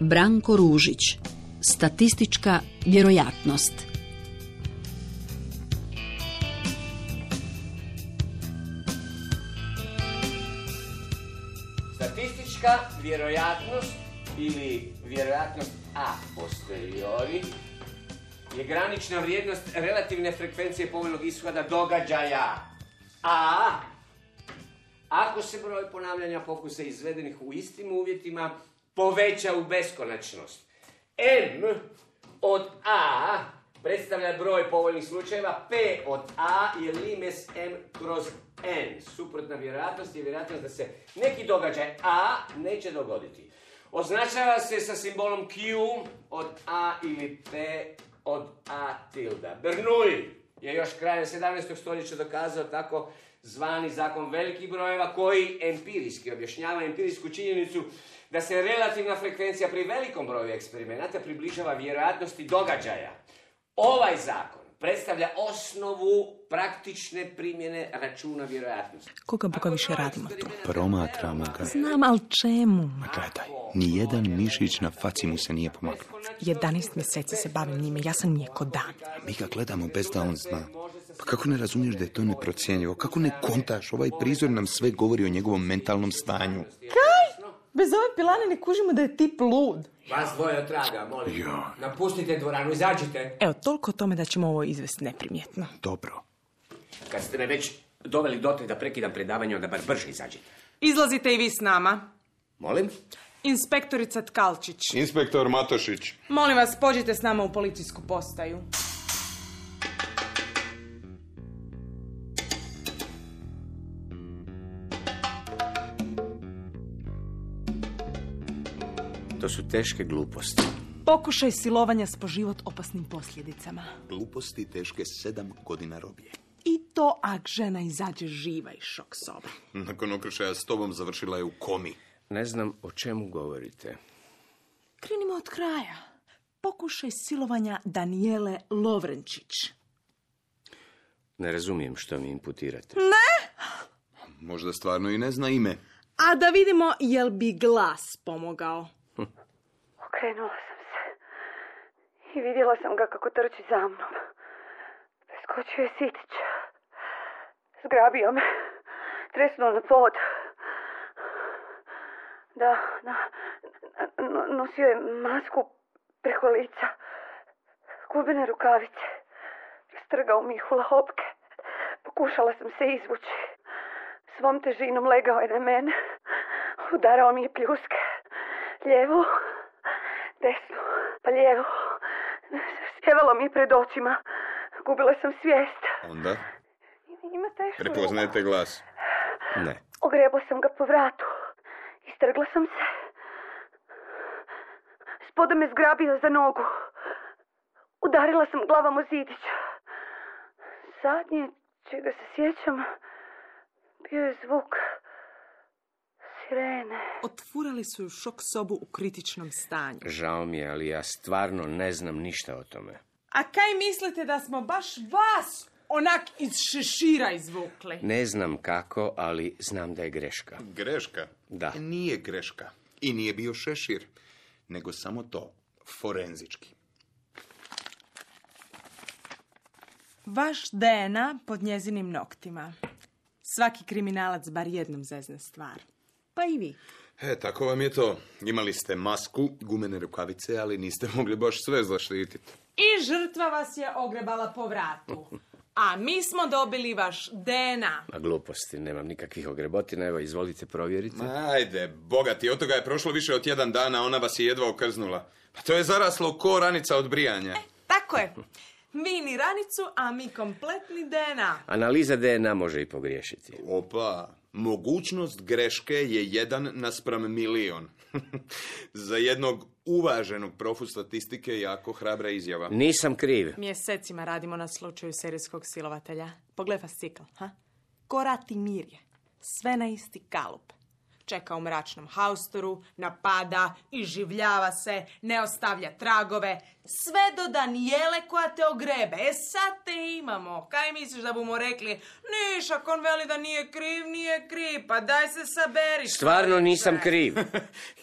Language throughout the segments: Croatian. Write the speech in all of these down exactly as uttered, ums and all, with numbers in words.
Branko Ružić. Statistička vjerojatnost. Statistička vjerojatnost ili vjerojatnost a posteriori je granična vrijednost relativne frekvencije povoljnog ishoda događaja. A ako se broj ponavljanja pokusa izvedenih u istim uvjetima poveća u beskonačnost. M od A predstavlja broj povoljnih slučajeva, P od A je limes M kroz N. Suprotna vjerojatnost je vjerojatnost da se neki događaj A neće dogoditi. Označava se sa simbolom Q od A ili P od A tilda. Bernoulli je još krajem sedamnaestog stoljeća dokazao tako zvani zakon velikih brojeva koji empirijski objašnjava empirijsku činjenicu da se relativna frekvencija pri velikom broju eksperimenata približava vjerojatnosti događaja. Ovaj zakon predstavlja osnovu praktične primjene računa vjerojatnosti. Koga Boga više radimo tu? Promatramo ga. Znam, ali čemu? Ma gledaj, nijedan mišić na faci mu se nije pomaknuo. jedanaest mjeseci se bavim njime, ja sam nije ko dan. Mi ga gledamo bez da on zna. Pa kako ne razumiješ da je to neprocjenjivo? Kako ne kontaš? Ovaj prizor nam sve govori o njegovom mentalnom stanju. Kaj? Bez ove pilane ne kužimo da je tip lud. Vas dvoje otraga, molim. Jo. Napustite dvoranu, izađite. Evo, toliko o tome da ćemo ovo izvesti neprimjetno. Dobro. Kad ste me već doveli dotle da prekidam predavanje, onda bar brže izađite. Izlazite i vi s nama. Molim? Inspektorica Tkalčić. Inspektor Matošić. Molim vas, pođite s nama u policijsku postaju. To su teške gluposti. Pokušaj silovanja s po život opasnim posljedicama. Gluposti teške sedam godina robije. I to ak žena izađe živa iz šok sobe. Nakon okršaja s tobom završila je u komi. Ne znam o čemu govorite. Krenimo od kraja. Pokušaj silovanja Danijele Lovrenčić. Ne razumijem što mi imputirate. Ne? Možda stvarno i ne zna ime. A da vidimo jel bi glas pomogao. Okrenula sam se i vidjela sam ga kako trči za mnom. Preskočio je Sitić. Zgrabio me. Tresnuo na pod. Da, da. No, nosio je masku preko lica. Gubene rukavice. Strgao mi ih u lahopke. Pokušala sam se izvući. Svom težinom legao je na mene. Udarao mi je pljuske. Lijevu, desnu, pa lijevu. Sjevalo mi je pred očima. Gubila sam svijest. Onda? Ima tešku. Prepoznajete glas? Ne. Ogrebla sam ga po vratu. Istrgla sam se. Spoda me zgrabio za nogu. Udarila sam glavom o zidić. Zadnje čega se sjećam bio je zvuk sirene. Otfurali su ju šok sobu u kritičnom stanju. Žao mi je, ali ja stvarno ne znam ništa o tome. A kaj mislite da smo baš vas onak iz šešira izvukli? Ne znam kako, ali znam da je greška. Greška? Da. Nije greška. I nije bio šešir. Nego samo to. Forenzički. Vaš D N A pod njezinim noktima. Svaki kriminalac bar jednom zezne stvar. Pa i vi. E, tako vam je to. Imali ste masku, gumene rukavice, ali niste mogli baš sve zaštititi. I žrtva vas je ogrebala po vratu. A mi smo dobili vaš D N A. Ma gluposti, nemam nikakvih ogrebotina, evo izvolite provjeriti. Ajde, bogati, od toga je prošlo više od jedan dana, ona vas je jedva okrznula. Pa to je zaraslo ko ranica od brijanja. E, tako je. Vi ni ranicu, a mi kompletni D N A. Analiza D N A može i pogriješiti. Opa, mogućnost greške je jedan naspram milion. Za jednog uvaženog profu statistike jako hrabra izjava. Nisam kriv. Mjesecima radimo na slučaju serijskog silovatelja. Pogledaj fascikl, ha? Ko rat i mir je. Sve na isti kalup. čeka u mračnom haustoru, napada, iživljava se, ne ostavlja tragove, sve do Danijele koja te ogrebe. E sad te imamo. Kaj misliš da bomo rekli, niš, ako on veli da nije kriv, nije kriv, pa daj se saberi. Stvarno nisam kriv.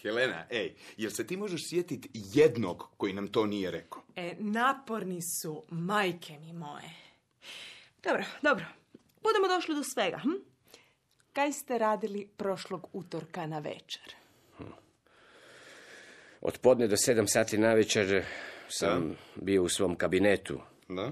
Helena, ej, jel se ti možeš sjetiti jednog koji nam to nije rekao? E, naporni su, majke mi moje. Dobro, dobro. Budemo došli do svega. Hm? Kaj ste radili prošlog utorka na večer? Od podne do sedam sati na večer sam da. bio u svom kabinetu. Da?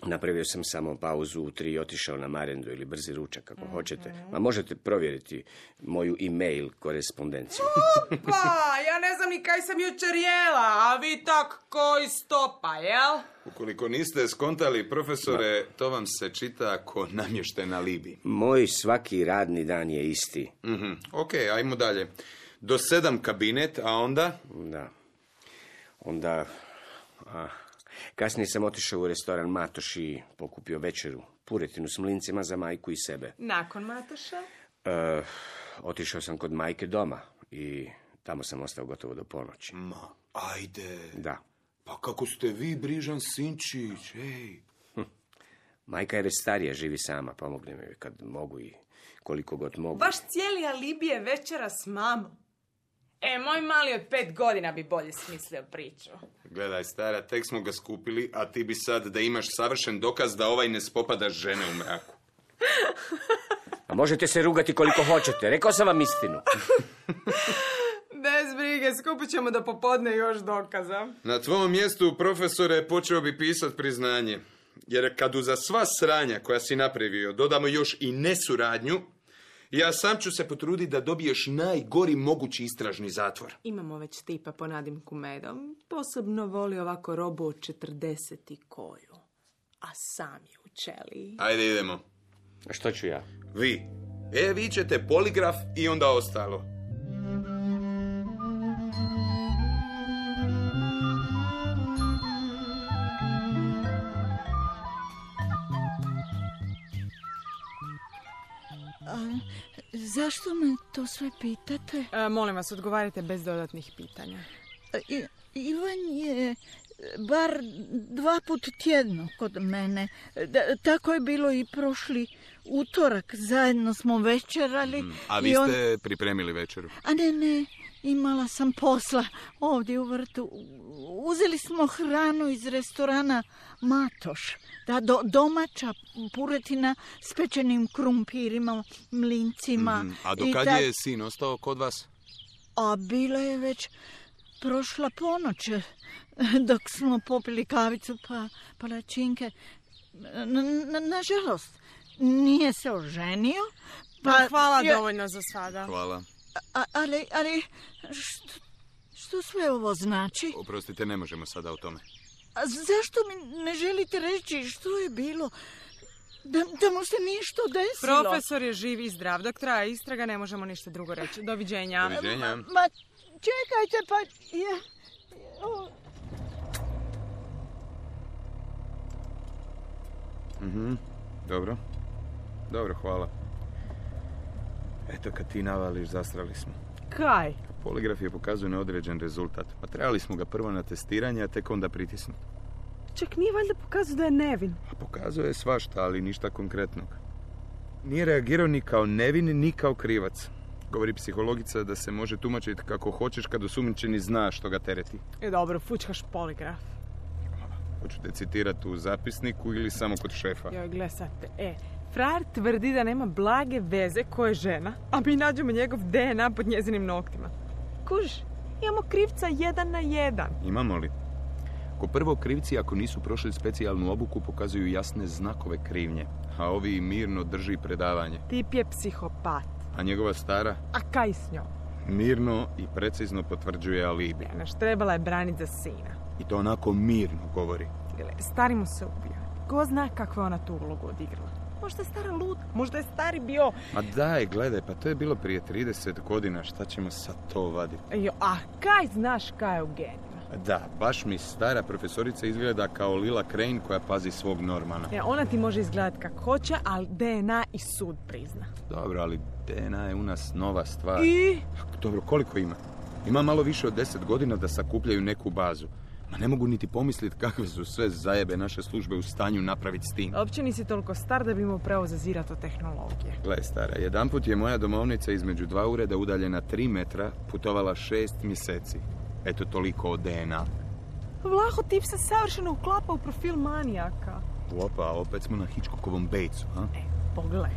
Napravio sam samo pauzu u tri i otišao na marendu ili brzi ručak, kako mm-hmm. hoćete. Ma možete provjeriti moju e-mail korespondenciju. Opa, ja ne znam ni kaj sam jučer jela, a vi tak koji stopa, jel? Ukoliko niste skontali, profesore, Ma. to vam se čita ko namješten alibi. Moj svaki radni dan je isti. Mm-hmm. Ok, ajmo dalje. Do sedam kabinet, a onda? Da. Onda... A, kasnije sam otišao u restoran Matoš i pokupio večeru. Puretinu s mlincima za majku i sebe. Nakon Matoša? E, otišao sam kod majke doma i tamo sam ostao gotovo do ponoći. Ma, ajde. Da. Pa kako ste vi brižan sinčić, ej. Hm. Majka je već starija, živi sama, pomogne mi kad mogu i koliko god mogu. Baš cijeli alibi je večera s mamom. E, moj mali od pet godina bi bolje smislio priču. Gledaj, stara, tek smo ga skupili, a ti bi sad da imaš savršen dokaz da ovaj ne spopada žene u mraku. A možete se rugati koliko hoćete, rekao sam vam istinu. Bez brige, skupit ćemo do popodne još dokaza. Na tvom mjestu, profesore, počeo bi pisat priznanje. Jer kad uza sva sranja koja si napravio dodamo još i nesuradnju, ja sam ću se potruditi da dobiješ najgori mogući istražni zatvor. Imamo već tipa po nadimku Medom. Posebno voli ovako robu od četrdeset i koju. A sam je u ćeliji. Ajde, idemo. A što ću ja? Vi. E, vi ćete poligraf i onda ostalo. A, zašto me to sve pitate? E, molim vas, odgovarajte bez dodatnih pitanja. I, Ivan je bar dva put tjedno kod mene. Da, tako je bilo i prošli utorak. Zajedno smo večerali. Mm, a vi on... ste pripremili večeru? A ne, ne. Imala sam posla ovdje u vrtu. Uzeli smo hranu iz restorana Matoš. Da, do, domaća puretina s pečenim krumpirima, mlincima. Mm, a do kad ta... je sin ostao kod vas? A bila je već prošla ponoć, dok smo popili kavicu pa palačinke. Nažalost, nije se oženio. Pa, hvala je... dovoljno za sada. Hvala. A, ali, ali što, što sve ovo znači? Oprostite, ne možemo sada o tome. A zašto mi ne želite reći što je bilo? Da, da mu se ništa desilo? Profesor je živ i zdrav. Dok traje istraga, ne možemo ništa drugo reći. Doviđenja. Doviđenja. Ma, ma čekajte, pa... Ja, o... Mhm, dobro. Dobro, hvala. Eto, kad ti navališ, zastrali smo. Kaj? Poligraf je pokazuje neodređen rezultat. Pa trebali smo ga prvo na testiranje, a tek onda pritisnuti. Čak nije valjda pokazuje da je nevin. A pokazuje svašta, ali ništa konkretnog. Nije reagirao ni kao nevin, ni kao krivac. Govori psihologica da se može tumačiti kako hoćeš kad osumnjičeni zna što ga tereti. E dobro, fučkaš poligraf. Hoćete citirati u zapisniku ili samo kod šefa? Joj, gle sad te. E, frajer tvrdi da nema blage veze ko je žena, a mi nađemo njegov D N A pod njezinim noktima. Kužiš, imamo krivca jedan na jedan. Imamo li? Ko prvo, krivci ako nisu prošli specijalnu obuku pokazuju jasne znakove krivnje, a ovi mirno drži predavanje. Tip je psihopat. A njegova stara? A kaj s njom? Mirno i precizno potvrđuje alibi. Ja, naš trebala je braniti za sina. I to onako mirno govori. Gle, stari mu se ubio. Ko zna kakvu je ona tu ulogu odigrala? Možda je stara luda, možda je stari bio... Ma daj, gledaj, pa to je bilo prije trideset godina, šta ćemo sad to vaditi? Jo, a kaj znaš kaj je u genima? Da, baš mi stara profesorica izgleda kao Lila Crane koja pazi svog Normana. E, ona ti može izgledati kako hoće, ali D N A i sud prizna. Dobro, ali D N A je u nas nova stvar. I? Dobro, koliko ima? Ima malo više od deset godina da sakupljaju neku bazu. Ma ne mogu niti pomisliti kakve su sve zajebe naše službe u stanju napraviti s tim. Uopće nisi toliko star da bi mu pravo zazirati o tehnologije. Gle, stara, jedanput je moja domovnica između dva ureda udaljena tri metra putovala šest mjeseci. Eto toliko o D N A. Vlaho, tip se savršeno uklapa u profil manijaka. Opa, opet smo na Hitchcockovom Batesu, ha? E, pogledaj.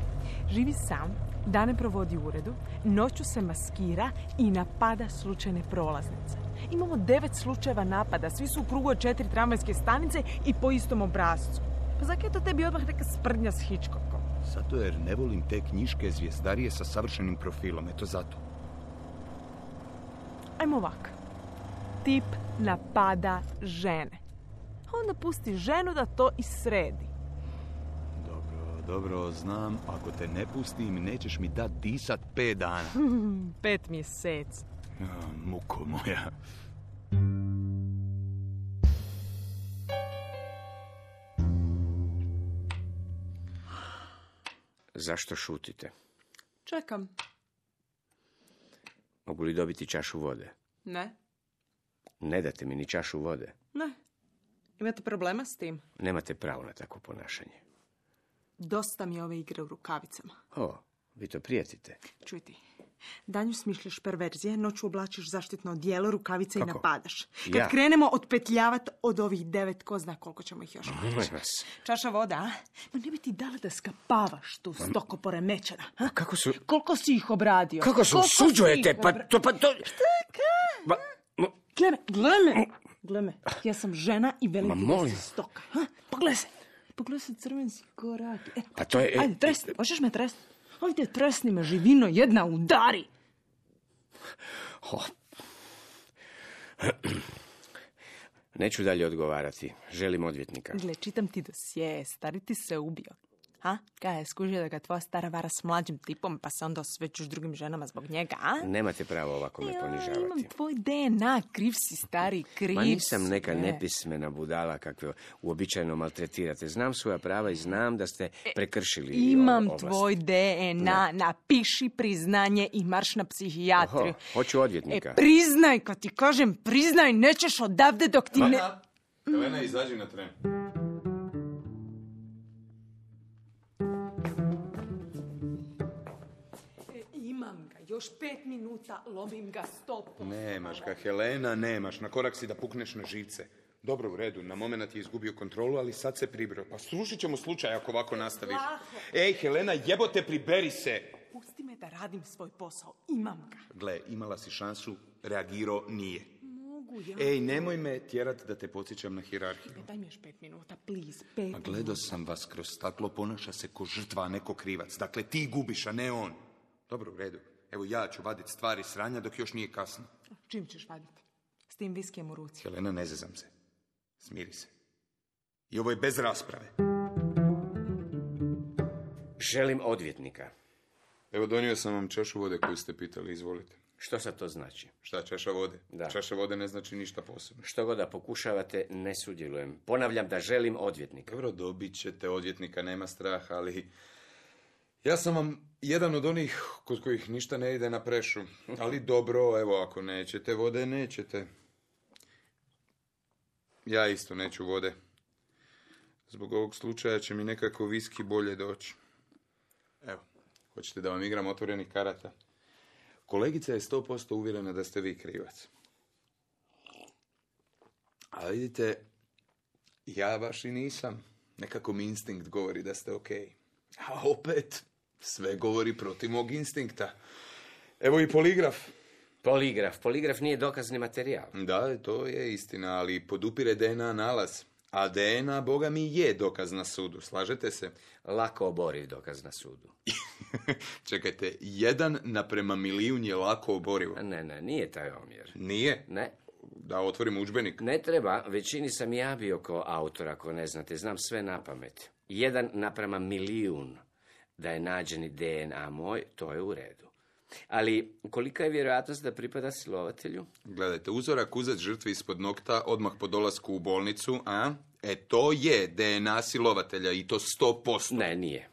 Živi sam, dane provodi u uredu, noću se maskira i napada slučajne prolaznice. Imamo devet slučajeva napada, svi su u krugu od četiri tramvajske stanice i po istom obrazcu. Pa zakaj je to tebi odmah neka sprdnja s Hitchcockom? Zato jer ne volim te knjiške zvijezdarije sa savršenim profilom, eto zato. Ajmo ovak. Tip napada žene. Onda pusti ženu da to i sredi. Dobro, dobro, znam, ako te ne pustim, nećeš mi dat disat pet dana. Pet mjeseci. Ja, muko moja. Zašto šutite? Čekam. Mogu li dobiti čašu vode? Ne. Ne date mi ni čašu vode. Ne. Imate problema s tim? Nemate pravo na takvo ponašanje. Dosta mi je ove igre u rukavicama. O, vi to prijatite. Čuj ti. Danju smišljaš perverzije, noću oblačiš zaštitno odijelo, rukavice Kako? i napadaš. Kad Ja? krenemo otpetljavati od ovih devet, ko zna koliko ćemo ih još Molim naći. vas. Čaša voda, a? Ma ne bi ti dala da skapavaš tu stoko poremećena. A? Kako su... Koliko si ih obradio? Kako se Koliko si usuđujete? ih Pa obra- to, pa to... Ma, ma, Gle me, gle me. Gle me. Ja sam žena i velim Ma ti da molim. si stoka. Ha? Pogledaj se. Pogledaj se crvenci korak. E, Pa to je- Ajde, tresni. Možeš me tresni? Ajde, tresni me, živino jedna, udari. o. Neću dalje odgovarati. Želim odvjetnika. Gle, čitam ti dosje, stari ti se ubio. Ha? Kaj je skužio da ga tvoja stara vara s mlađim tipom, pa se onda osvećuš drugim ženama zbog njega, a? Nemate pravo ovako me Ja, ponižavati. imam tvoj D N A, kriv si, stari, kriv Ma nisam si, neka ne. nepismena budala kakve uobičajeno maltretirate. Znam svoja prava i znam da ste prekršili Imam ovlast. tvoj D N A, napiši priznanje i marš na psihijatriju. Oho, hoću odvjetnika. E, priznaj, kad ti kažem priznaj, nećeš odavde dok ti ne... Helena, izađi na tren. E, imam ga, još pet minuta, lomim ga stopu. Nemaš ga, Helena, nemaš. Na korak si da pukneš na živce. Dobro, u redu, na moment je izgubio kontrolu, ali sad se pribrao. Pa slušat ćemo slučaj ako ovako nastaviš. Vlaho. Ej, Helena, jebote, priberi se! Pusti me da radim svoj posao, imam ga. Gle, imala si šansu, reagirao nije. Mogu ja. Ej, nemoj me tjerat da te podsjećam na hijerarhiju. Daj mi još pet minuta, please, pet Ma gledao sam vas kroz staklo, ponaša se ko žrtva, a ne ko krivac. Dakle, ti gubiš, a ne on. Dobro, u redu. Evo ja ću vaditi stvari sranja dok još nije kasno. Čim ćeš vaditi? S tim viskijem u ruci. Helena, ne zezam se. Smiri se. I ovo je bez rasprave. Želim odvjetnika. Evo, donio sam vam čašu vode koju ste pitali, izvolite. Što sad to znači? Šta, čaša vode? Da. Čaša vode ne znači ništa posebno. Što god da pokušavate, ne sudjelujem. Ponavljam da želim odvjetnika. Dobro, dobit ćete odvjetnika, nema straha, ali... Ja sam vam jedan od onih kod kojih ništa ne ide na prešu. Ali dobro, evo, ako nećete vode, nećete. Ja isto neću vode. Zbog ovog slučaja će mi nekako viski bolje doći. Evo, hoćete da vam igram otvorenih karata? Kolegica je sto posto uvjerena da ste vi krivac. A vidite, ja baš i nisam. Nekako mi instinkt govori da ste okej. A opet, sve govori protiv mog instinkta. Evo i poligraf. Poligraf. Poligraf nije dokazni materijal. Da, to je istina, ali podupire D N A nalaz. A D N A, boga mi, je dokaz na sudu. Slažete se? Lako oboriv dokaz na sudu. Čekajte, jedan naprema milijun je lako oborivo. Ne, ne, nije taj omjer. Nije? Ne, Da otvorim udžbenik. ne treba. Većini sam ja bio kao autor, ako ne znate. Znam sve na pamet. Jedan naprema milijun da je nađeni D N A moj, to je u redu. Ali kolika je vjerojatnost da pripada silovatelju? Gledajte, uzorak uzet žrtvi ispod nokta odmah po dolasku u bolnicu, a? E, to je D N A silovatelja i to sto posto. Ne, nije.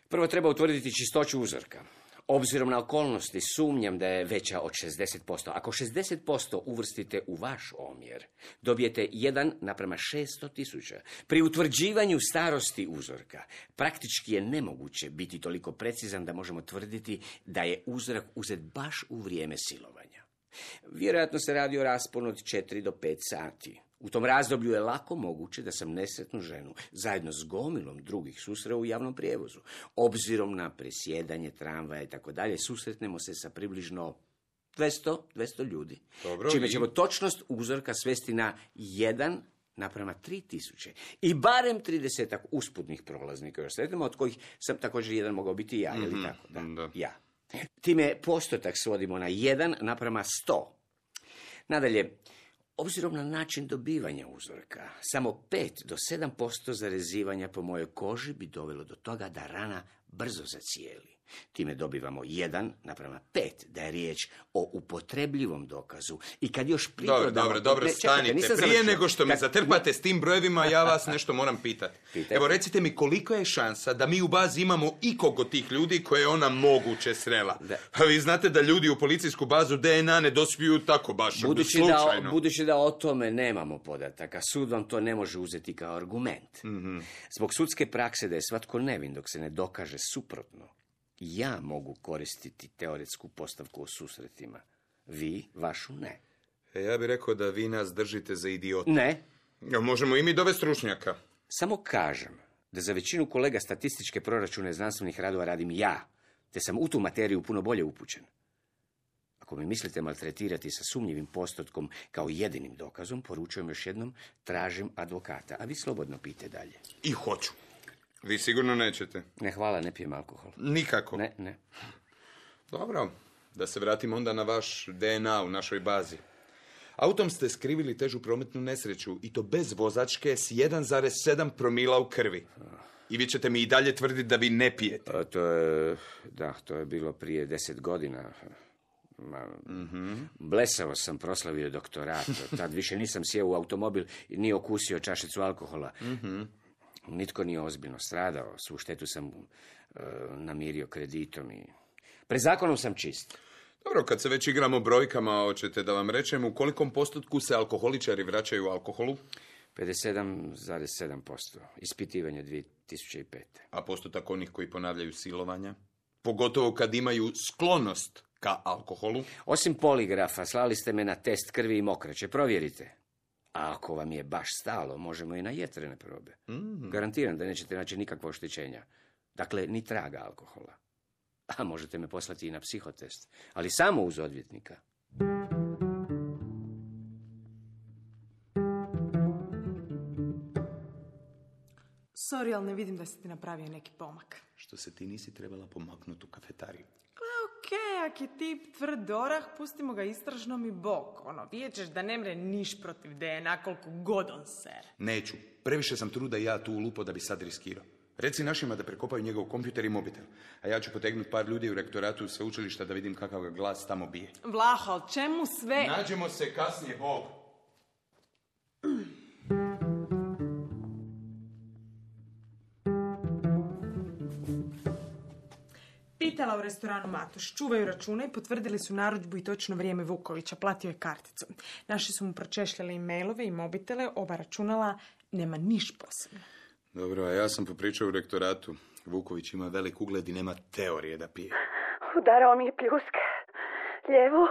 Prvo treba utvrditi čistoću uzorka. Obzirom na okolnosti, sumnjam da je veća od šezdeset posto. Ako šezdeset posto uvrstite u vaš omjer, dobijete jedan naprema šesto tisuća. Pri utvrđivanju starosti uzorka, praktički je nemoguće biti toliko precizan da možemo tvrditi da je uzorak uzet baš u vrijeme silovanja. Vjerojatno se radi o rasponu od četiri do pet sati. U tom razdoblju je lako moguće da sam nesretnu ženu, zajedno s gomilom drugih, susreo u javnom prijevozu. Obzirom na presjedanje tramvaja i tako dalje, susretnemo se sa približno dvjesto, dvjesto ljudi. Dobro, čime i- ćemo točnost uzorka svesti na jedan naprema tri tisuće. I barem tridesetak usputnih prolaznika još sretnemo, od kojih sam također jedan mogao biti ja, je li tako? Da, da. ja. Time postotak svodimo na jedan naprema sto. Nadalje, obzirom na način dobivanja uzorka, samo pet do sedam posto zarezivanja po mojoj koži bi dovelo do toga da rana brzo zacijeli. Time dobivamo jedan naprema pet, da je riječ o upotrebljivom dokazu. I kad još Dobro, pridodamo... dobro, dobro, Ne, čekajte, stanite. nisam Prije završio. nego što me Kad- zatrpate s tim brojevima, ja vas nešto moram pitati. Pitajte. Evo, recite mi koliko je šansa da mi u bazi imamo ikog od tih ljudi koje je ona moguće srela. Da. A vi znate da ljudi u policijsku bazu D N A ne dospiju tako baš Budući slučajno. da, budući da o tome nemamo podataka, sud vam to ne može uzeti kao argument. Mhm. Zbog sudske prakse da je svatko nevin dok se ne dokaže suprotno, ja mogu koristiti teoretsku postavku o susretima. Vi, vašu ne. E, ja bih rekao da vi nas držite za idiota. Ne, Ja, možemo i mi dovesti stručnjaka. samo kažem da za većinu kolega statističke proračune znanstvenih radova radim ja, te sam u tu materiju puno bolje upućen. Ako mi mislite maltretirati sa sumnjivim postotkom kao jedinim dokazom, poručujem još jednom, tražim advokata, a vi slobodno pijte dalje. I hoću. Vi sigurno nećete. Ne, hvala, ne pijem alkohol. Nikako. Ne, ne. Dobro, da se vratimo onda na vaš D N A u našoj bazi. Autom ste skrivili težu prometnu nesreću i to bez vozačke s jedan zarez sedam promila u krvi. I vi ćete mi i dalje tvrditi da vi ne pijete. A, to je, da, to je bilo prije deset godina. Ma, blesavo sam proslavio doktorat. Tad više nisam sjeo u automobil i nije okusio čašicu alkohola. Nitko nije ozbiljno stradao. Svu štetu sam e, namirio kreditom i... Pred zakonom sam čist. Dobro, kad se već igramo brojkama, hoćete da vam rečem u kolikom postotku se alkoholičari vraćaju alkoholu? pedeset sedam zarez sedam posto. Ispitivanje dvije tisuće pete. A postotak onih koji ponavljaju silovanja? Pogotovo kad imaju sklonost ka alkoholu? Osim poligrafa, slali ste me na test krvi i mokraće. Provjerite. A ako vam je baš stalo, možemo i na jetrene probe. Garantiram da nećete naći nikakva oštećenja. Dakle, ni traga alkohola. A možete me poslati i na psihotest. Ali samo uz odvjetnika. Sorry, ali ne vidim da si ti napravio neki pomak. Što se ti nisi trebala pomaknuti u kafetariju? Okej, ak je tip tvrd orah, pustimo ga istražnom i bok. Ono, vidjet ćeš da ne mre niš protiv D N A koliko god on ser. Neću. Previše sam truda i ja tu ulupo da bi sad riskirao. Reci našima da prekopaju njegov kompjuter i mobitel. A ja ću potegnuti par ljudi u rektoratu sveučilišta da vidim kakav ga glas tamo bije. Vlaho, ali čemu sve? Nađemo se kasnije, Bog. Pitala u restoranu Matoš, čuvaju račune i potvrdili su narudžbu i točno vrijeme Vukovića, platio je karticu. Naši su mu pročešljali e-mailove i mobitele, oba računala, nema niš posebno. Dobro, a ja sam popričao u rektoratu. Vuković ima velik ugled i nema teorije da pije. Udarao mi je pljuske. Lijevo.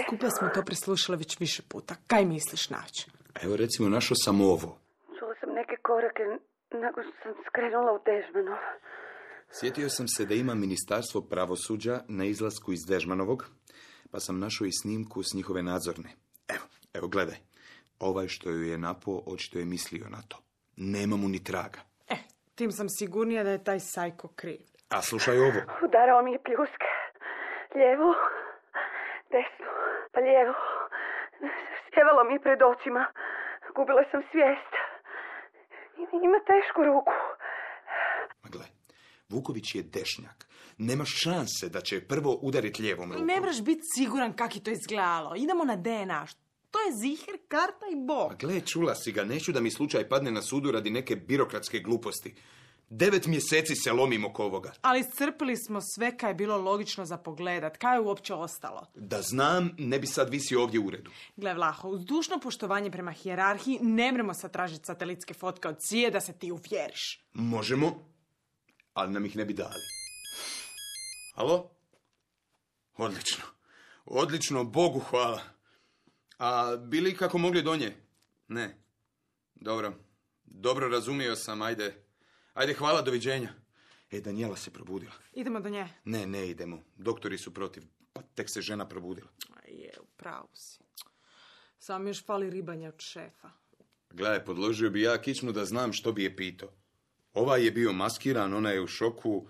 Skupa smo to preslušali već više puta. Kaj misliš naći? Evo recimo, našao sam ovo. Čula sam neke korake nakon što sam skrenula u Dežmanov. Sjetio sam se da ima Ministarstvo pravosuđa na izlasku iz Dežmanovog, pa sam našao i snimku s njihove nadzorne. Evo, evo gledaj. Ovaj što ju je napao, očito je mislio na to. Nema mu ni traga. E, tim sam sigurnija da je taj sajko kriv. A slušaj ovo. Udarao mi je pljuske. Lijevo. Desno. Pa lijevo. Sjevalo mi je pred očima. Gubila sam svijest. Ima tešku ruku. Ma gle, Vuković je dešnjak. Nema šanse da će prvo udariti lijevom rukom. Ne moraš biti siguran kak je to izgledalo. Idemo na D N A. To je ziher, karta i bog. Pa gle, čula si ga, neću da mi slučaj padne na sudu radi neke birokratske gluposti. Devet mjeseci se lomim oko ovoga. Ali iscrpili smo sve kaj je bilo logično za pogledat. Kaj je uopće ostalo? Da znam, ne bi sad visio ovdje u uredu. Gle, Vlaho, uz dušno poštovanje prema hijerarhiji ne mremo sad tražiti satelitske fotke od Cije da se ti uvjeriš. Možemo, ali nam ih ne bi dali. Alo? Odlično. Odlično, Bogu hvala. A bili kako mogli do nje? Ne. Dobro. Dobro, razumio sam, ajde. Ajde, hvala, doviđenja. E, Danijela se probudila. Idemo do nje. Ne, ne idemo. Doktori su protiv. Pa tek se žena probudila. Je, upravo si. Samo još fali ribanje od šefa. Gledaj, podložio bi ja kičmu da znam što bi je pitao. Ovaj je bio maskiran, ona je u šoku.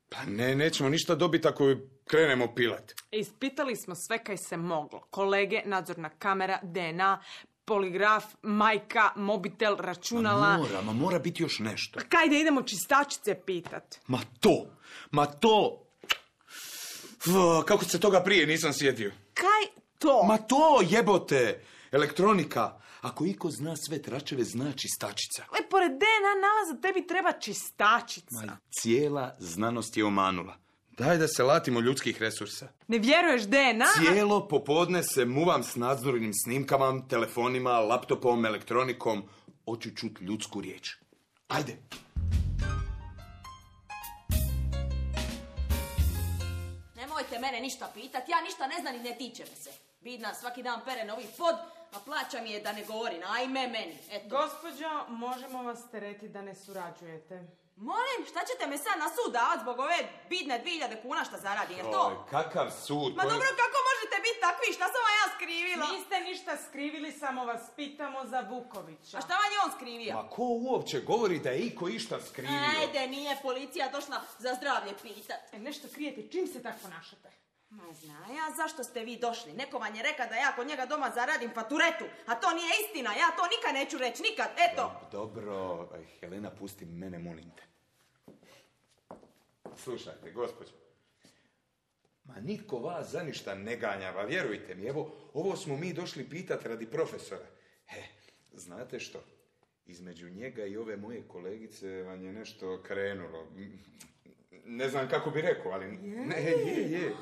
Pa ne, nećemo ništa dobiti ako krenemo pilat. Ispitali smo sve kaj se moglo. Kolege, nadzorna kamera, D N A, poligraf, majka, mobitel, računala. Ma mora, ma mora biti još nešto. Kaj da idemo čistačice pitat? Ma to, ma to. Uf, kako se toga prije nisam sjetio. Kaj to? Ma to, jebote. Elektronika. Ako iko zna sve tračeve, zna čistačica. E, pored D N A nalaza tebi treba čistačica. Ma cijela znanost je omanula. Daj da se latimo ljudskih resursa. Ne vjeruješ D N A? Cijelo popodne se muvam s nadzornim snimkama, telefonima, laptopom, elektronikom. Hoću čut ljudsku riječ. Ajde. Nemojte mene ništa pitat, ja ništa ne znam i ne tiče me se. Bidna svaki dan pere novi pod, a plaća mi je da ne govori, ajme meni, eto. Gospođo, možemo vas teretiti da ne surađujete. Molim, šta ćete me sad na sud davat zbog ove bidne dvije hiljade kuna šta zaradi, je to? Oj, kakav sud? Ma dobro, kako možete biti takvi, šta sam vam ja skrivila? Niste ništa skrivili, samo vas pitamo za Vukovića. A šta vam je on skrivio? Ma ko uopće govori da je iko išta skrivio? Ajde, nije policija došla za zdravlje pitat. E, nešto krijete, čim se tako ponašate? Ma zna ja zašto ste vi došli. Neko vam je reka da ja kod njega doma zaradim faturetu. A to nije istina, ja to nikad neću reći, nikad, eto. Dobro, aj, Helena, pusti mene, molim te. Slušajte, gospođo. Ma nitko vas za ništa ne ganjava, vjerujte mi. Evo, ovo smo mi došli pitat radi profesora. E, znate što? Između njega i ove moje kolegice vam je nešto krenulo. Ne znam kako bi rekao, ali... Ne, je, je.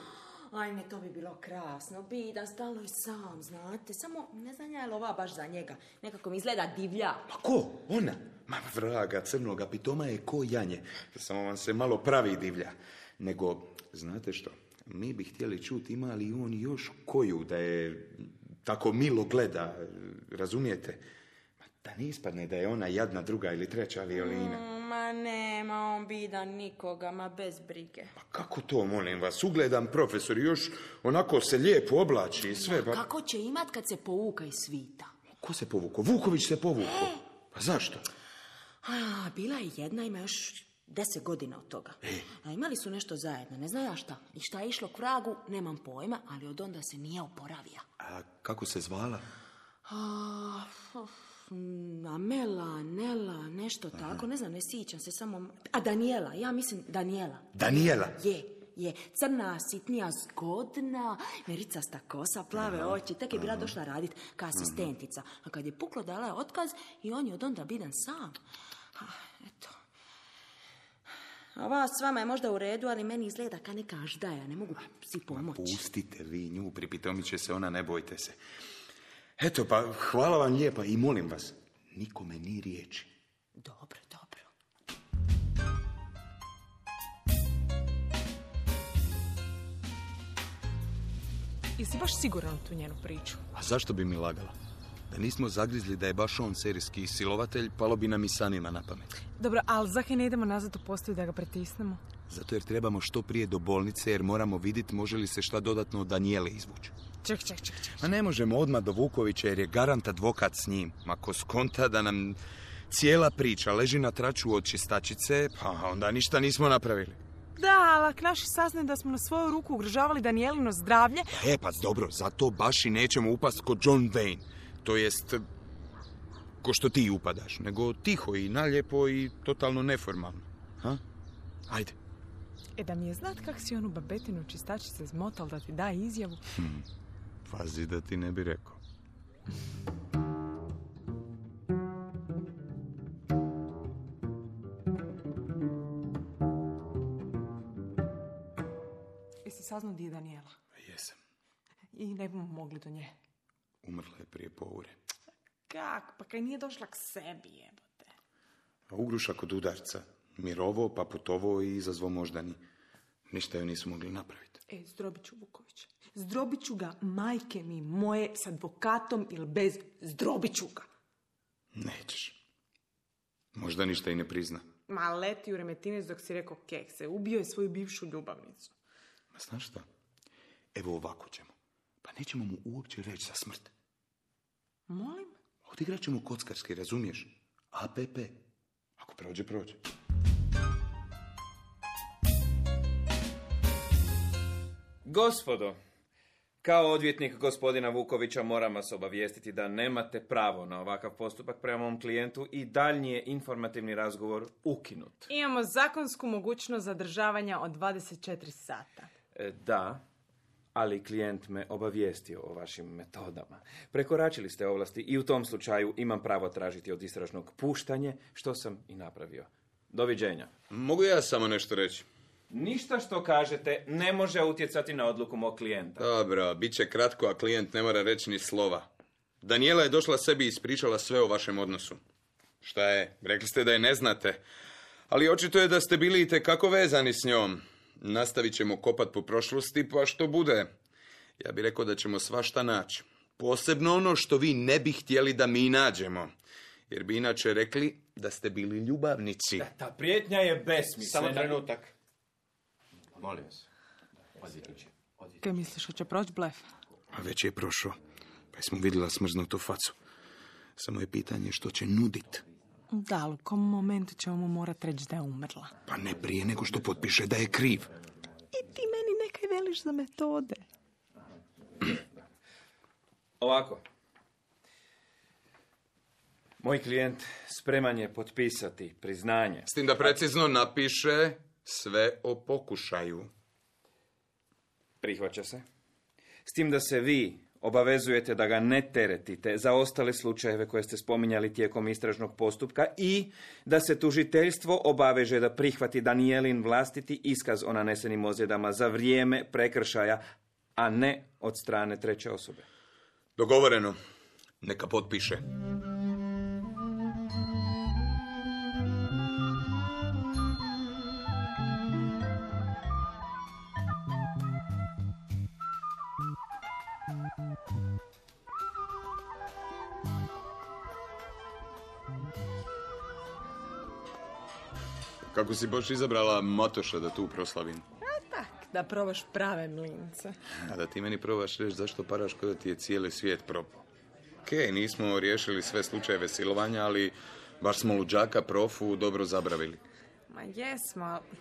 Ajme, to bi bilo krasno. Bidan, stalno i sam, znate. Samo, ne znam ja je li ova baš za njega. Nekako mi izgleda divlja. Pa ko? Ona? Ma vraga, crnoga pitoma je ko janje. Samo vam se malo pravi divlja. Nego, znate što? Mi bi htjeli čuti ima li on još koju da je tako milo gleda. Razumijete? Ma da ne ispadne da je ona jadna druga ili treća violina. Mm, ma nema on bidan nikoga, ma bez brige. Pa kako to, molim vas? Ugledam profesor i još onako se lijepo oblači i sve. Pa... Kako će imat kad se povuka iz svita? Ko se povukao? Vuković se povukao. Pa zašto? A, bila je jedna, ima još deset godina od toga. E. A imali su nešto zajedno, ne znam ja šta. I šta je išlo k vragu, nemam pojma, ali od onda se nije oporavija. A kako se zvala? A, uf, Amela, Nela, nešto tako, ne znam, ne sjećam se samo... A Danijela, ja mislim Danijela. Danijela? Je, je, crna, sitnija, zgodna, mericasta kosa, plave oči, tek je bila došla radit kao asistentica. A kad je puklo, dala je otkaz i on je od onda bidan sam. A, eto. Ova s vama je možda u redu, ali meni izgleda kao neka aždaja, ne mogu si pomoći. Pustite vi nju, pripitomit će se ona, ne bojte se. Eto, pa hvala vam lijepa i molim vas, nikome ni riječi. Dobro, dobro. Jesi baš siguran u tu njenu priču? A zašto bi mi lagala? Da nismo zagrizli da je baš on serijski silovatelj, palo bi nam i sanima na pamet. Dobro, ali zakaj ne idemo nazad u postaju da ga pritisnemo? Zato jer trebamo što prije do bolnice, jer moramo vidjeti može li se šta dodatno od Danijele izvući. Ček, ček, ček, ček. A ne možemo odmah do Vukovića jer je garant advokat s njim. Ako skonta da nam cijela priča leži na traču od čistačice, pa onda ništa nismo napravili. Da, ali ako naši saznaju da smo na svoju ruku ugrožavali Danijelino zdravlje... E, pa dobro, zato baš i nećemo upast kod John Wayne. To jest, ko što ti upadaš, nego tiho i naljepo i totalno neformalno. Ha? Ajde, E da mi je znat kak si onu babetinu čistačice zmotal da ti da izjavu. Hm, pazi da ti ne bi rekao. Jesi saznao di je Danijela? Jesam. I ne bomo mogli do nje. Umrla je prije pol ure. Kak? Pa kaj nije došla k sebi, jebote. A ugruša kod udarca. Mirovo, pa putovo i izazvo moždani. Ništa joj nisu mogli napraviti. E, zdrobit ću Vukovića. Zdrobit ću ga, majke mi moje, s advokatom ili bez, zdrobit ću ga. Nećeš. Možda ništa i ne prizna. Ma leti u Remetinec dok si rekao kekse. Ubio je svoju bivšu ljubavnicu. Ma znaš šta? Evo ovako ćemo. Pa nećemo mu uopće reći za smrt. Molim? Odigrat ćemo kockarski, razumiješ? A P P. Ako prođe, prođe. Gospodo, kao odvjetnik gospodina Vukovića moram vas obavijestiti da nemate pravo na ovakav postupak prema mom klijentu i daljnji je informativni razgovor ukinut. Imamo zakonsku mogućnost zadržavanja od dvadeset četiri sata. E, da, ali klijent me obavijestio o vašim metodama. Prekoračili ste ovlasti i u tom slučaju imam pravo tražiti od istražnog puštanje, što sam i napravio. Doviđenja. Mogu ja samo nešto reći? Ništa što kažete ne može utjecati na odluku mog klijenta. Dobro, bit će kratko, a klijent ne mora reći ni slova. Danijela je došla sebi i ispričala sve o vašem odnosu. Šta je? Rekli ste da je ne znate. Ali očito je da ste bili itekako vezani s njom. Nastavit ćemo kopat po prošlosti, pa što bude. Ja bih rekao da ćemo svašta naći. Posebno ono što vi ne bi htjeli da mi nađemo. Jer bi inače rekli da ste bili ljubavnici. Da, ta prijetnja je besmislena. Samo trenutak. Molim vas. Odvjetniče. Kaj misliš, hoće proći blef? A već je prošao. Pa smo vidjela smrznutu facu. Samo je pitanje što će nudit. Da, ali u kom momentu ćemo mu morat reći da je umrla? Pa ne prije nego što potpiše da je kriv. I ti meni nekaj veliš za metode. Ovako. Moj klijent spreman je potpisati priznanje. S tim da precizno napiše sve o pokušaju. Prihvaća se. S tim da se vi obavezujete da ga ne teretite za ostale slučajeve koje ste spominjali tijekom istražnog postupka i da se tužiteljstvo obaveže da prihvati Danijelin vlastiti iskaz o nanesenim ozljedama za vrijeme prekršaja, a ne od strane treće osobe. Dogovoreno. Neka potpiše. Kako si baš izabrala Matoša da tu proslavim? A tak, da probaš prave mlince. A da ti meni probaš reći zašto paraš kada ti je cijeli svijet propao. Okej, nismo riješili sve slučajeve silovanja, ali baš smo luđaka profu dobro zabravili. Ma jesmo, ali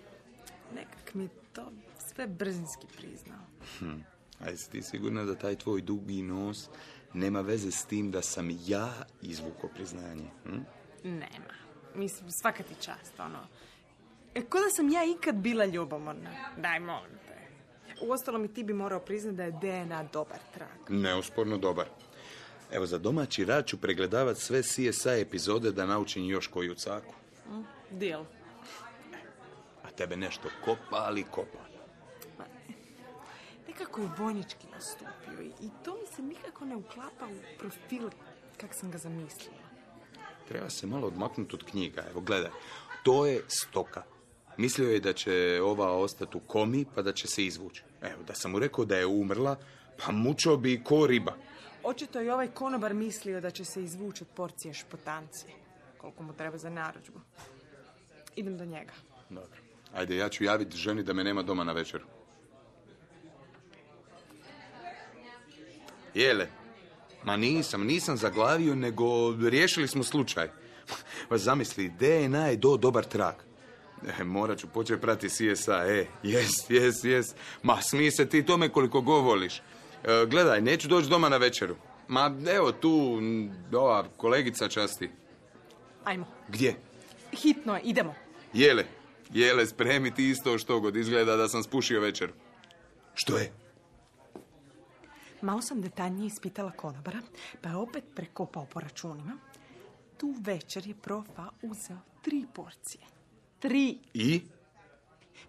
nekak mi to sve brzinski priznao. Hm. A jesi ti sigurna da taj tvoj dugi nos nema veze s tim da sam ja izvukao priznanje? Hm? Nema. Mislim, svaka ti čast, ono. E, ko da sam ja ikad bila ljubomorna? Daj, molim te. Uostalom i ti bi morao priznati da je D N A dobar trag. Neusporno dobar. Evo, za domaći rad ću pregledavat sve C S I epizode da naučim još koju caku. Mm, deal. A tebe nešto kopa, ali kopa. Ma, nekako je vojnički nastupio i, i to mi se nikako ne uklapa u profil kak sam ga zamislila. Treba se malo odmaknuti od knjiga. Evo, gledaj. To je stoka. Mislio je da će ova ostati u komi, pa da će se izvući. Evo, da sam mu rekao da je umrla, pa mučao bi ko riba. Očito je ovaj konobar mislio da će se izvući od porcije špotancije. Koliko mu treba za narudžbu. Idem do njega. Dobro. Ajde, ja ću javiti ženi da me nema doma na večeru. Jele? Ma nisam, nisam zaglavio, nego riješili smo slučaj. Pa zamisli, D N A je do dobar trag. E, morat ću početi prati C S I. E, jes, jes, jes. Ma, smij se ti tome koliko go voliš. E, gledaj, neću doći doma na večeru. Ma, evo tu, ova kolegica časti. Ajmo. Gdje? Hitno je, idemo. Jele, Jele, spremi ti isto što god izgleda da sam spušio večer. Što je? Malo sam detaljnije ispitala konobara, pa je opet prekopao po računima. Tu večer je profa uzeo tri porcije. Tri. I?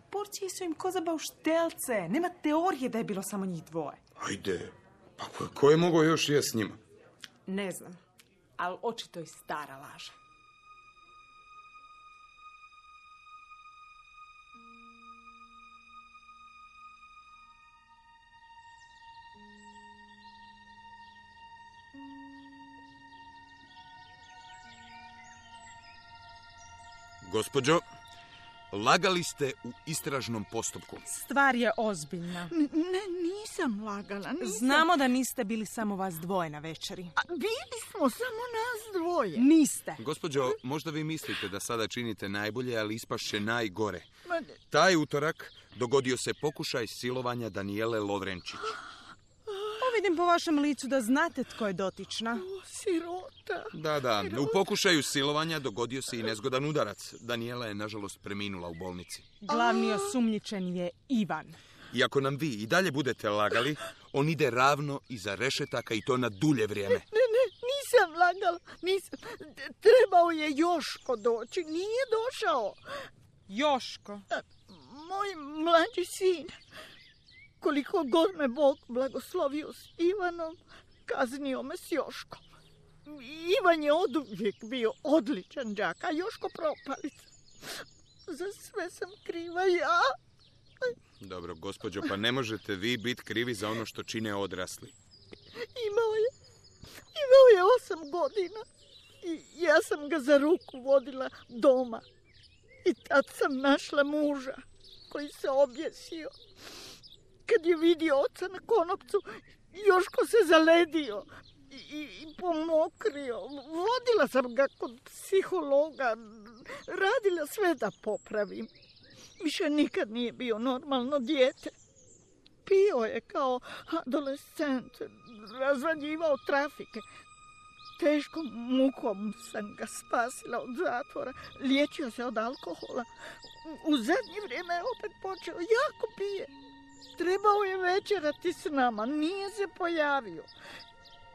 Porcije su im ko za bauštelce. Nema teorije da je bilo samo njih dvoje. Ajde, pa ko, ko je mogao još jest s njima? Ne znam, ali očito i stara laža. Gospođo, lagali ste u istražnom postupku. Stvar je ozbiljna. N- ne, nisam lagala. Nisam. Znamo da niste bili samo vas dvoje na večeri. A bili smo samo nas dvoje. Niste. Gospođo, možda vi mislite da sada činite najbolje, ali ispašće najgore. Ma, Taj utorak dogodio se pokušaj silovanja Danijele Lovrenčić. Pa vidim po vašem licu da znate tko je dotična. o, sirota. Da, da, u pokušaju silovanja dogodio se i nezgodan udarac. Danijela je, nažalost, preminula u bolnici. Glavni osumnjičen je Ivan. I ako nam vi i dalje budete lagali, on ide ravno iza rešetaka i to na dulje vrijeme. Ne, ne, nisam lagala. Nisam. Trebao je Joško doći. Nije došao. Joško. Moj mlađi sin. Koliko god me Bog blagoslovio s Ivanom, kaznio me s Joškom. Ivan je oduvijek bio odličan đak, a Joško propalica. Za sve sam kriva ja. Dobro, gospođo, pa ne možete vi biti krivi za ono što čine odrasli. Imao je, imao je osam godina i ja sam ga za ruku vodila doma. I tad sam našla muža koji se objesio. Kad je vidio oca na konopcu, Joško se zaledio i, i, i pomokrio. Vodila sam ga kod psihologa, radila sve da popravim. Više nikad nije bio normalno dijete. Pio je kao adolescent, razvaljivao trafike. Teškom mukom sam ga spasila od zatvora. Liječio se od alkohola. U zadnje vrijeme je opet počeo, jako pije. Trebao je večerati s nama, nije se pojavio.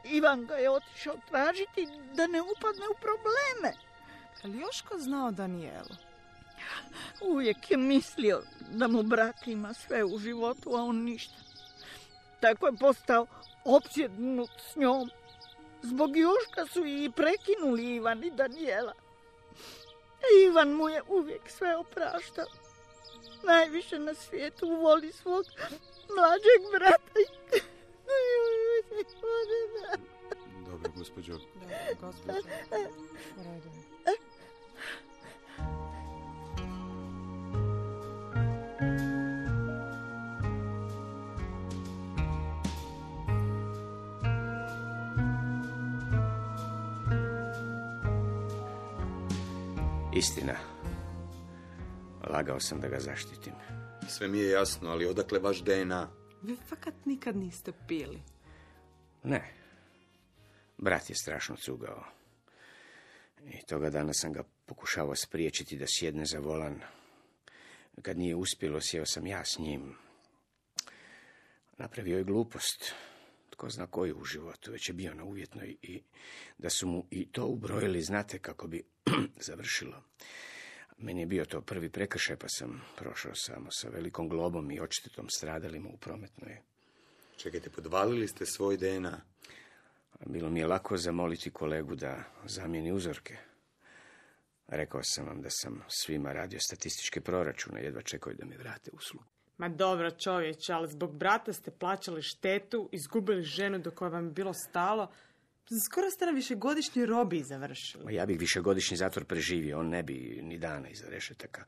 Ivan ga je otišao tražiti da ne upadne u probleme. Ali Joško znao Danijelu? Uvijek je mislio da mu brat ima sve u životu, a on ništa. Tako je postao opsjednut s njom. Zbog Joška su i prekinuli Ivan i Danijela. Ivan mu je uvijek sve opraštao. Najviše na svijetu voli svog mlađeg brata. Dobro, gospođo. Dobro, gospođo. U redu. Istina. Lagao sam da ga zaštitim. Sve mi je jasno, ali odakle vaš D N A? Vi fakat nikad niste pili. Ne. Brat je strašno cugao. I toga dana sam ga pokušavao spriječiti da sjedne za volan. Kad nije uspjelo, sjeo sam ja s njim. Napravio je glupost. Tko zna koju u životu, već je bio na uvjetnoj i da su mu i to ubrojili, znate kako bi završilo. Meni je bio to prvi prekršaj, pa sam prošao samo sa velikom globom i odštetom stradalima u prometnoj. Čekajte, podvalili ste svoj D N A. Bilo mi je lako zamoliti kolegu da zamijeni uzorke. Rekao sam vam da sam svima radio statističke proračune, jedva čekaju da mi vrate uslugu. Ma dobro čovječe, ali zbog brata ste plaćali štetu, izgubili ženu do koje vam je bilo stalo. Skoro ste na višegodišnjoj robiji završili. Ja bih višegodišnji zatvor preživio, on ne bi ni dana iza rešetaka.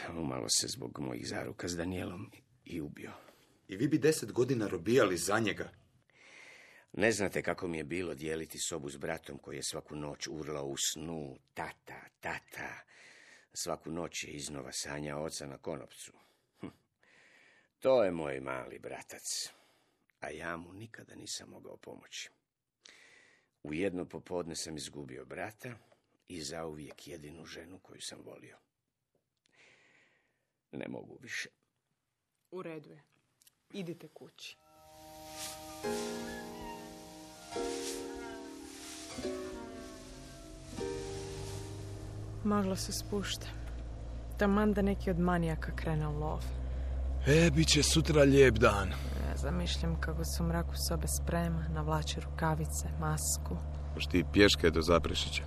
Umalo se zbog mojih zaruka s Danijelom i ubio. I vi bi deset godina robijali za njega. Ne znate kako mi je bilo dijeliti sobu s bratom koji je svaku noć urlao u snu. Tata, tata. Svaku noć je iznova sanjao oca na konopcu. Hm. To je moj mali bratac. A ja mu nikada nisam mogao pomoći. U jedno popodne sam izgubio brata i zauvijek jedinu ženu koju sam volio. ne mogu više. U redu je. Idite kući. Magla se spušta. Taman da neki od manijaka krene u lov. E, bit će sutra lijep dan. Ja zamišljam kako se u mraku sobe sprema, navlači rukavice, masku. Hoš ti pješke do Zaprešića?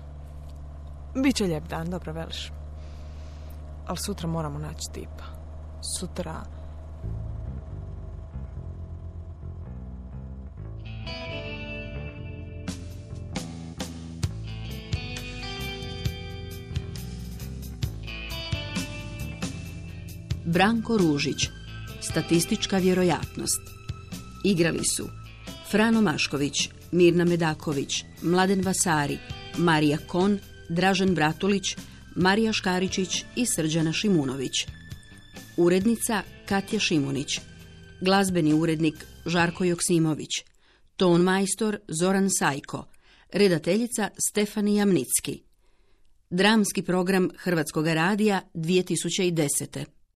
Biće lijep dan, dobro veliš. Ali sutra moramo naći tipa. Sutra... Branko Ružić, statistička vjerojatnost. Igrali su Frano Mašković, Mirna Medaković, Mladen Vasari, Marija Kon, Dražen Bratulić, Marija Škaričić i Srđana Šimunović. Urednica Katja Šimunić. Glazbeni urednik Žarko Joksimović. Ton majstor Zoran Sajko. Redateljica Stefanija Mnicki. Dramski program Hrvatskog radija dvije tisuće desete.